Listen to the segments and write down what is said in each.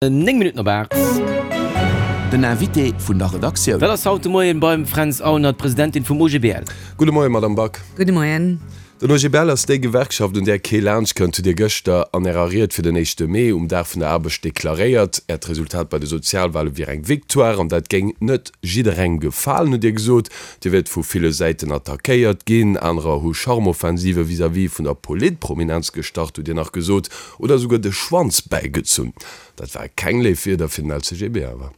9 Minutten op 8. Den Invité vun der Redaktioun. Dat ass haut de Moien beim Fränz Aulner, d'Presidentin vum OGBL. Gudde Moien, Madame Back. Gudde Moien. Den OGBL ass déi Gewerkschaft, un där kee laanscht kënnt, hutt Dir gëschter an Ärer Ried fir den éischte Mee, um Dag vun der Aarbecht, deklaréiert. Äert Resultat bei de Sozialwale wier eng Victoire an dat géing net jidderengem gefalen, hutt Dir gesot. Dir wiert vu ville Säiten attackéiert ginn, anerer hu Charmoffensive vis-à-vis vun der Politprominenz gestart, hutt Dir nach gesot. Oder esouguer de Schwanz bäigezunn. Dat ware keng léif Wierder fir den LCGB awer.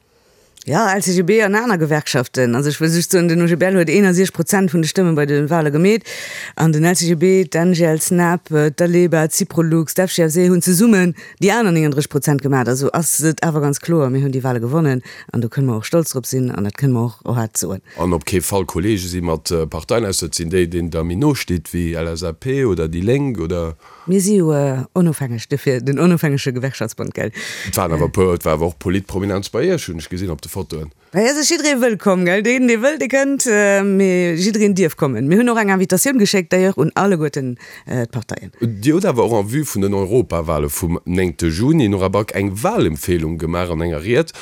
Jo, LCGB an aner Gewerkschaften. Also ech wëll just soen, den OGBL huet 61 Prozent vun de Stëmme bei de Wale gemeet an den LCGB, d'ANGL, d'SNAP, d'Aleba, d'Syprolux, d'FGFC hunn zesummen déi aner 39 Prozent gemat. Also ass et awer ganz kloer, mir hunn déi Wale gewonnen an do kënne mer och stolz drop sinn an dat kënne mer och haart soen. An op kee Fall Kollege si mat Parteien, ausser et sinn déi, deenen Der méi no stitt, wéi LSAP oder déi Lénk oder. Mir si jo onofhängeg, duerfir den onofhängege Gewerkschaftsbond, gell? Et waren awer e puer, et war awer och Politprominenz bei Iech, hunn ech gesinn op de Fotoen. Hei ass jidderee wëllkomm, gell? Deen, dee wëll, dee kënnt, mee jiddereen dierf kommen. Mir hunn och eng Invitatioun geschéckt, d'ailleurs un alleguerten d'Parteien. Dir hutt awer och en vue vun den Europawale vum néngte Juni, Nora Back, eng Walempfehlung gemaach an enger Ried.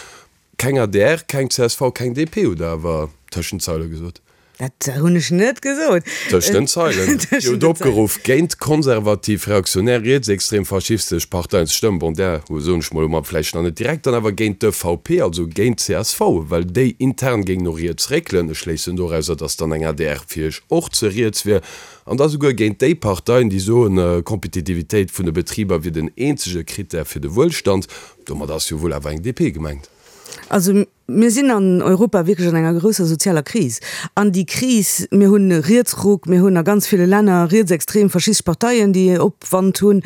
Keng adr, keng csv, keng DP, hutt Der awer tëschent d'Zeile gesot. Dat hunn ech net gesot. Tëscht den Zeilen. Dir hutt opgeruff, géint konservativ, reaktionär, rietsextrem, faschistesch Parteien ze stëmmen. Bon, där soen ech mol elo mol vläicht nach net direkt, dann awer géint d'EVP, also géint csv, well déi intern géing no riets réckelen. Ech schléissen dorauser, datt dann eng adr fir Iech och ze riets wier. An da souguer géint déi Parteien, déi soen, Kompetitivitéit vun de Betriber wier den eenzege Krittär fir de Wuelstand. Domat ass jo wuel awer eng DP gemengt. Also mir sinn an Europa wierklech an enger grousser sozialer Kris. An déi Kris, mir hunn e Rietsruck, mir hunn a ganz ville Länner rietsextrem, faschistesch Parteien, déi Opwand hunn.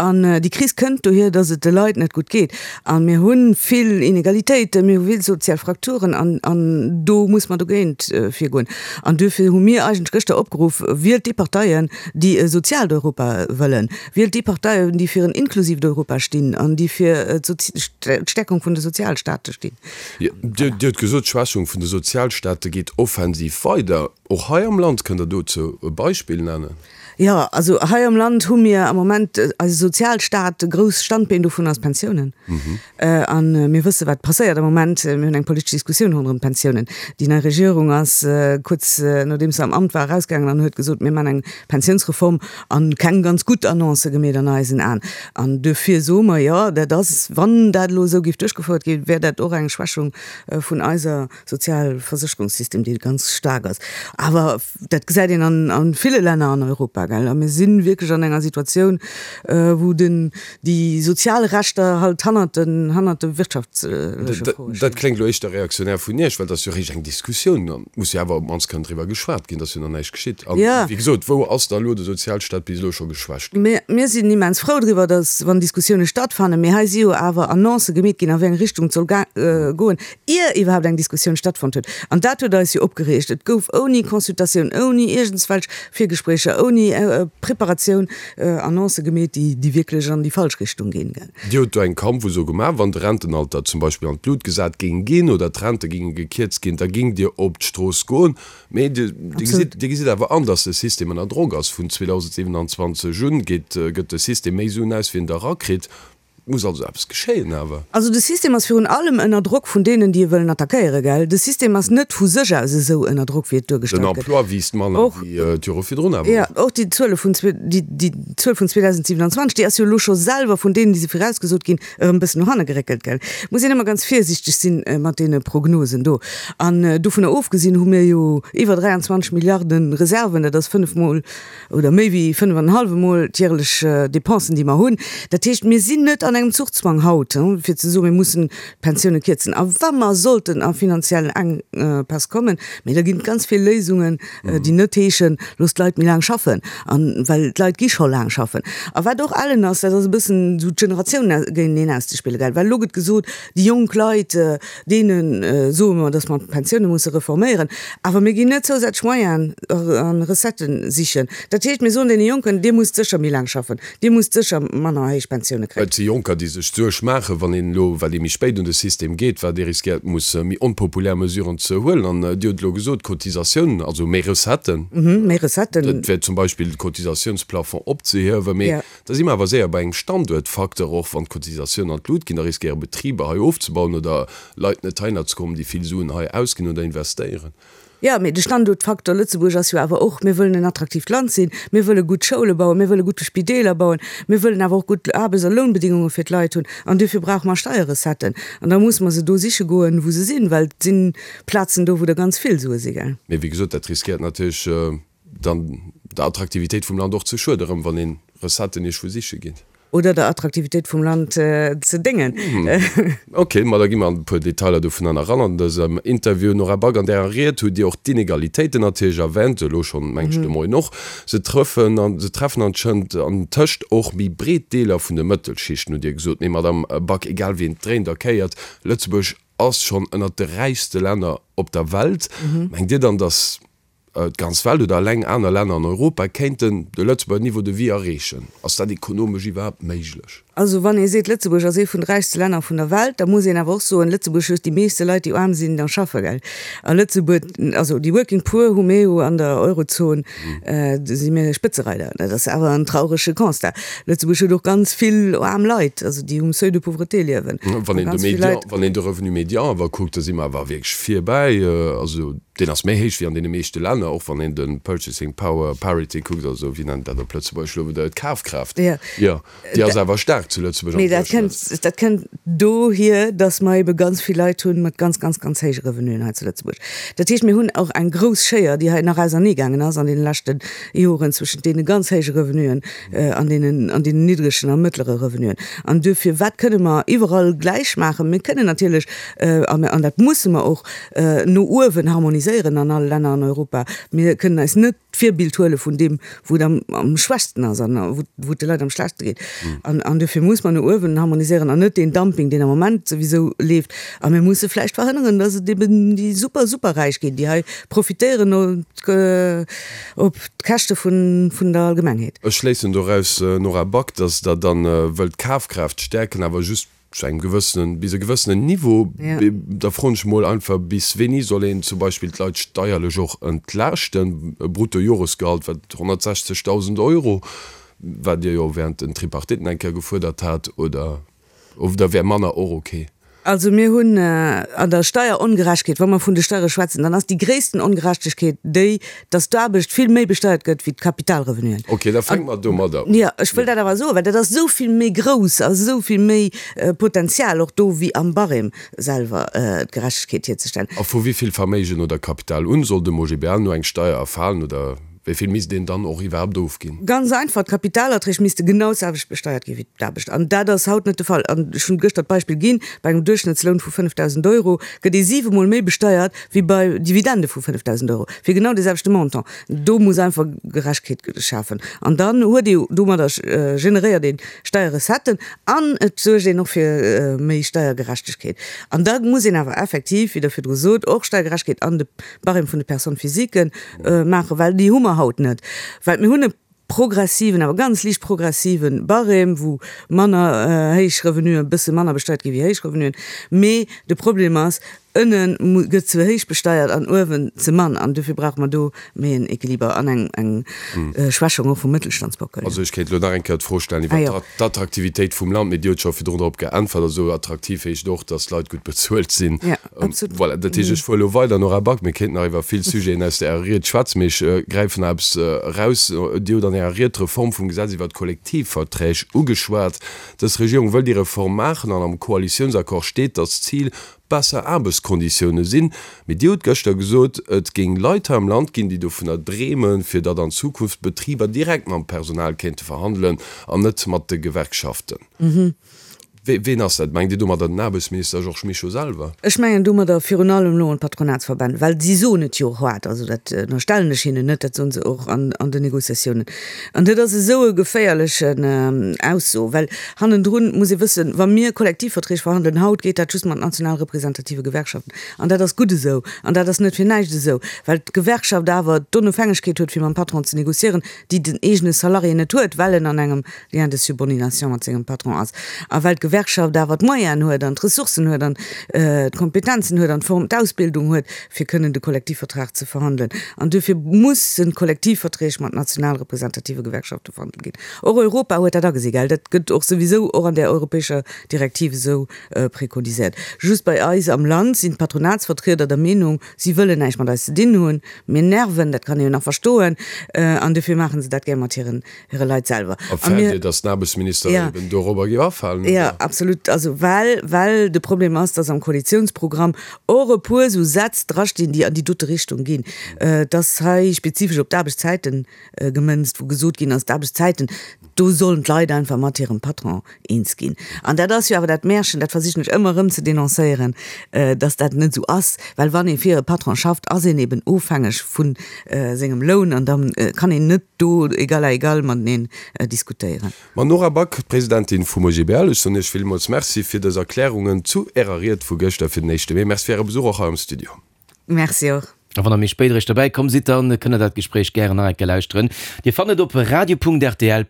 An déi Kris kënnt dohier, datt et de Leit net gutt geet. A mir hu vill Inegalitéiten, mir hu vill sozial Frakturen an an do muss mer dogéint virgoen. An duerfir hu mir eigentlech gëschter opgeruff, Wielt déi Parteien, déi e soziaalt Europa wëllen. Wielt déi Parteien, déi fir en inklusiivt Europa stinn an déi fir d'Stäerkung vun de Sozialstaate stinn. Dir hutt gesot, d'Schwächung vun de Sozialstaate geet offensiv weider. Och hei am Land, kënnt Der dozou e Beispill nennen? Jo, also hei am Land hu mir am Moment eise Sozialstaat, e grousst Standbeen dovun ass d'Pensiounen. A mir wësse wat passéiert am Moment. Mir hunn eng politesch Diskussioun ronderëm d'Pensiounen. Déi nei Regierung ass kuerz nodeems se am Amt war erausgaangen an huet gesot, mir maachen eng Pensiounsreform An keng ganz gutt Annoncë gemeet an eisen Aen. An duerfir soe mer, jo, dat ass, wann dat elo esou géif duerchgefouert ginn, wär dat och eng Schwächung vun eiser Sozialversécherungssystem, dee ganz staark ass. Awer dat gesäit een an a ville Länner an Europa, gell. A mir si wierklech an enger Situatioun, wou den, déi sozial Rechter halt hannert den, hannert de wirtschaftleche Froe stinn. Dat kléngt elo éischter reaktionär vun Iech, well et ass jo eréischt eng Diskussioun an et muss jo awer op d'mannst kënnen driwwer geschwat ginn, et ass jo nach näischt geschitt. An wéi gesot, wou ass da elo de Sozialstaat bis elo scho geschwächt ginn? Mir, mir sinn immens frou driwwer, datt, wann Diskussioune stattfannen, mee hei si jo awer Annoncë gemeet ginn, a wéi eng Richtung et soll goen, ier iwwerhaapt eng Diskussioun stattfonnt huet. An dat huet eis jo opgereegt. Et gouf ouni Consultatioun, ouni iergendswelch Virgespréicher, ouni Preparatioun Annoncë gemeet, déi, déi wierklech an déi falsch Richtung ginn. Dir hutt do eng Kampfuso gemaach, wann de Rentenalter zum Beispill an d'Lut gesat géing ginn oder d'Rente géinge gekierzt ginn, da géingt Dir op d'Strooss goen. Mee Dir gesitt, Dir gesitt awer an, datt de System ënner Drock ass. Vun 2027 un geet, gëtt de System méi Suen aus, wéi en der erakritt. Et muss also eppes geschéien awer. Also de System ass virun allem ënner Drock vun deenen, déi e wëllen attackéieren, gell. De System ass net vu sech aus esou ënner Drock, wéi et duergestallt gëtt. Den Emploi wiisst manner wéi d'Jore virdrun awer och. Jo, och déi Zuele vun, déi Zuel vun 2027, déi ass jo elo scho selwer vun deenen, déi se virausgesot ginn, erëm e bëssen no hanne geréckelt, gell. Muss een ëmmer ganz virsiichteg sinn mat deene Prognosen do. An dovunner ofgesinn hu mir jo iwwer 23 Milliarde Reserven, dat ass fënnefmol oder méi wéi fënnef an en hallwe Mol d'järelech Dépensen, déi mer hunn. Dat heescht, mir sinn net an engem Zuchzwang haut, fir ze soen, mir mussen d'Pensioune kierzen. A wa mer sollten a finanziell Enkpäss kommen, mee da ginn et ganz vill Léisungen, déi net heeschen, loosst d'Leit méi laang schaffen, an well d'Leit gi scho laang schaffen. A wat och ellen ass, dat ass e bëssen esou d'Generatiounen géinteneen auszespillen, gell, well elo gëtt gesot, déi jonk Leit, Deene soe mer, datt mer d'Pensioune musse reforméieren, awer mir ginn net zousätzlech Moyenen a Recettë sichen. Dat heescht, mir soen deene Jonken, Dir musst sécher méi laang schaffen, Dir musst sécher manner héich Pensioune kréien. Et si Jonker. Jonker, déi sech d'Suerg maachen, wann een elo, well ee méi spéit un de System geet, wat ee riskéiert muss méi onpopulär Mesuren ze huelen. An Dir hutt elo gesot, Cotisatiounen, also méi Recetten. Méi Recetten. Dat wär zum Beispill de Cotisatiounsplafond opzehiewen. Mee da si mer awer séier bei engem Standuertfacteur, och wann d'Cotisatiounen an d'Lut ginn, da riskéiere Betriber hei ofzebauen oder Leit net heihinner ze kommen, déi vill Suen hei ausginn oder investéieren. Jo, mee de Standuertfaktor Lëtzebuerg ass jo awer och, mir wëllen en attraktiivt Land sinn, mir wëlle gutt Schoule bauen, mir wëlle gutt Spideeler bauen, mir wëllen awer och gutt Aarbechts a Lounbedingunge fir d'Leit hunn. An duerfir brauche mer Steierrecetten. An da musse mer se do siche goen, wou se sinn, well et si Plazen do, wou der ganz vill Sue si, gell. Mee wéi gesot, dat riskéiert natierlech dann der Attraktivitéit vum Land och ze schueden, erëm wann ee Recetten iergendwou siche geet. Oder der Attraktivitéit vum Land ze déngen. Ok, ma da gi mer an e puer Detailer dovunner eran an dësem Interview. Nora Back, an Ärer Ried hutt Dir och d'Inegalitéiten natierlech erwänt, elo schonn, mengen ech, de Moien och. Se trëffen an se treffen anschënnt an tëscht och méi breet Deeler vun de Mëttelschichten, hutt Dir gesot. Mee Madamm Back, egal wéi een et dréint a kéiert, Lëtzebuerg ass schonn ënnert de räichste Länner op der Welt. Mengt Dir dann, datt D'ganz Welt oder eleng aner Länner an Europa kéinten de Lëtzebuerger Niveau de vie erreechen. Ass dat ekonomesch iwwerhaapt méiglech? Also wann ee seet, Lëtzebuerg ass ee vun de räichste Länner vun der Welt, da muss een awer och soen, Lëtzebuerg huet déi meeschte Leit, déi aarm sinn a schaffe, gell? A Lëtzebuerg, also déi Working Poor hu mir jo an der Eurozon, do si mir Spëtzereider. Dat ass awer en traurege Constat. Lëtzebuerg huet och ganz vill aarm Leit, also déi um Seuil de pauvreté liewen. Wann een de Médian, wann een de Revenu médian awer kuckt, da si mer awer wierklech virbäi. Also Deen ass méi héich wéi an deene meeschte Länner, och wann een de Purchasing Power Parity kuckt, also wéi nennt dat op Lëtzebuergesch elo wieder, d'Kafkraaft, jo, déi ass awer staark zu Lëtzebuerg am Mee dat kënnt, dat kënnt dohier, datt mer ebe ganz vill Leit hunn mat ganz, ganz, ganz héije Revenuen hei zu Lëtzebuerg. Dat heescht, mir hunn och eng grouss Schéier, déi hei nach auserneegaangen ass an deene leschte Joren zwëschent deene ganz héije Revenuen an deenen, an deenen niddregen a mëttlere Revenuen. An duerfir, wat kënne mer iwwerall gläich maachen? Mir kënnen natierlech, an, an dat musse mer och, no uewen harmoniséieren an alle Länner an Europa. Mir kënnen eis net d'Virbild huele vun deem, wou et am schwächsten ass an wou et de Leit am schlechtste geet. An dofir muss mer no uewen harmoniséieren an net deen Dumping, deen am Moment souwisou leeft. A mir musse vläicht verhënneren, datt et eben déi super, superräich ginn, déi hei profitéieren op d'Käschte vun der Allgemengheet. Ech schléissen doraus, Nora Back, datt Der dann wëllt d'Kafkraaft stäerken, awer just Zu engem gewëssenen, bis e gewëssenen Niveau. Da froen ech mol einfach, bis wéini soll een zum Beispill d'Leit steierlech och entlaaschten? E Bruttojoresgehalt, wat 160.000 Euro, wat Dir jo während den Tripartiten eng Kéier gefuerdert hat, oder, oder wär manner och ok? Also mir hunn an der Steierongerechtegkeet, wa mer vun de Steiere schwätzen, dann ass déi gréissten Ongerechtegkeet déi, dass d'Aarbecht vill méi besteiert gëtt wéi d'Kapitalrevenuen. Ok, da fänke mer domadder un. Jo, ech wëll dat awer soen, well dat ass esou vill méi grouss a esou vill méi Potenzial och do wéi am Barème selwer d'Gerechtegkeet hierzestellen. A vu wéi vill Verméigen oder Kapital un soll dem OGBL no eng Steier erfalen oder wéi vill misst een dann och iwwerhaapt ofginn? Ganz einfach, d'Kapitalerträg misste genau d'selwecht besteiert gi wéi d'Aarbecht. An dat ass haut net de Fall. An ech hunn gëschter d'Beispill ginn, Bei engem Duerchschnëttsloun vu 5.000 Euro gëtt ee siwemol méi besteiert wéi bei Dividende vu 5.000 Euro fir genau dee selwechte Montant. Do muss einfach Gerechtegkeet schafen. An dann huet ee jo domadder generéiert ee Steierrecetten an et suergt een och fir méi Steiergerechtegkeet. An da muss een awer effektiv, wéi Der virdru sot, och Steiergerechtegkeet an de Barème vun de Personnes physiques maachen, well déi hu mer haut net. Well mir hunn e progressiven, awer ganz liicht progressive Barème, wou manner héich Revenuen e bësse manner besteiert gi wéi héich Revenuen. Mee de Problem ass, ënne gëtt ze héich besteiert an uewen ze mann. An dofir brauche mer do méi en Equiliber an eng, eng Schwächung och vum Mëttelstandsbockel. Also ech kéint elo nach eng Kéier d'Fro stellen iwwert d'Attraktivitéit vum Land, mee Dir hutt scho virdrun drop geäntwert. Also attraktiv heescht och, datt d'Leit gutt bezuelt sinn. Absolut. Voilà, dat heescht, ech fuere elo weider, Nora Back. Mir kéinten nach iwwer vill Sujeten aus Ärer Ried schwätzen, mee ech gräifen nach eppes eraus. Dir hutt an Ärer Ried d'Reform vum Gesetz iwwer d'Kollektivverträg ugeschwat. Dës Regierung wëll déi Reform maachen an am Koalitiounsaccord steet, datt d'Zil besser Aarbechtskonditioune sinn. Mee Dir hutt gëschter gesot, et géing Leit hei am Land ginn, déi dovunner dreemen, fir datt an Zukunft d'Betriber direkt mam Personal kéinte verhandelen an net mat de Gewerkschaften. Ween ass dat? Mengt Dir domadder den Aarbechtsminister Georges Mischo selwer? Ech mengen domadder virun allem elo un d'Patronatsverbänn, well si soen et jo och haart, also dat ënnerstellen ech hinnen net, dat soen se och an den Négociatiounen. An dat ass esou e geféierlechen Ausso, well hannendrun muss ee wëssen, wa mir Kollektivverträg verhandelen haut, geet dat just mat national representative Gewerkschaften. An dat ass gutt esou. An dat ass net fir näischt esou, well d'Gewerkschaft awer d'Onofhängegkeet huet, fir mam Patron ze négociéieren, déi den eegene Salarié net huet, well en an engem Lien de subordination mat sengem Patron ass a well d'Gewerkschaft awer d'Moyenen huet an d'Ressourcen huet an d'Kompetenzen huet an d'Form, d'Ausbildung huet, fir kënnen de Kollektivvertrag ze verhandelen. An duerfir mussen d'Kollektivverträg mat national representative Gewerkschafte verhandelt ginn. Och Europa huet dat agesi, gell? Dat gëtt och souwisou och an där europäescher Direktiv esou préconiséiert. Just bei eis am Land sinn d'Patronatsvertrieder der Meenung, si wëllen näischt mat eis ze dinn hunn, mir nerven, dat kann ee jo nach verstoen, an duerfir maache se dat gär mat hiren hire Leit selwer. A fäert Dir, datt den Aarbechtsminister eben dorobber géif afalen, oder? Jo, absolut. Also well, well de Problem ass, datt am Koalitiounsprogramm och e puer esou Sätz drastinn, déi an déi dote Richtung ginn. Et ass hei spezifesch op d'Aarbechtszäite gemënzt, wou gesot ginn ass, d'Aarbechtszäiten, do sollen d'Leit einfach mat hirem Patron eens ginn. An dat ass jo awer dat Märchen, dat versichen ech ëmmer erëm ze denoncéieren, dass dat net esou ass, well wann ee fir e Patron schafft, ass een eben ofhängeg vu sengem Loun an da kann een net do égal à égal mateneen diskutéieren. Mme Nora Back, Presidentin vum OGBL, ech soen Iech villmools Merci fir dës Erklärungen zu Ärer Ried vu gëschter fir den éischte Mee. Merci fir Äre Besuch och hei am Studio. Merci och. A wann der méi spéit eréischt dobäi komm sidd, dann kënnt der dat Gespréich gären nach eng Kéier lauschteren. Dir fannt et op radio.rtl.lu.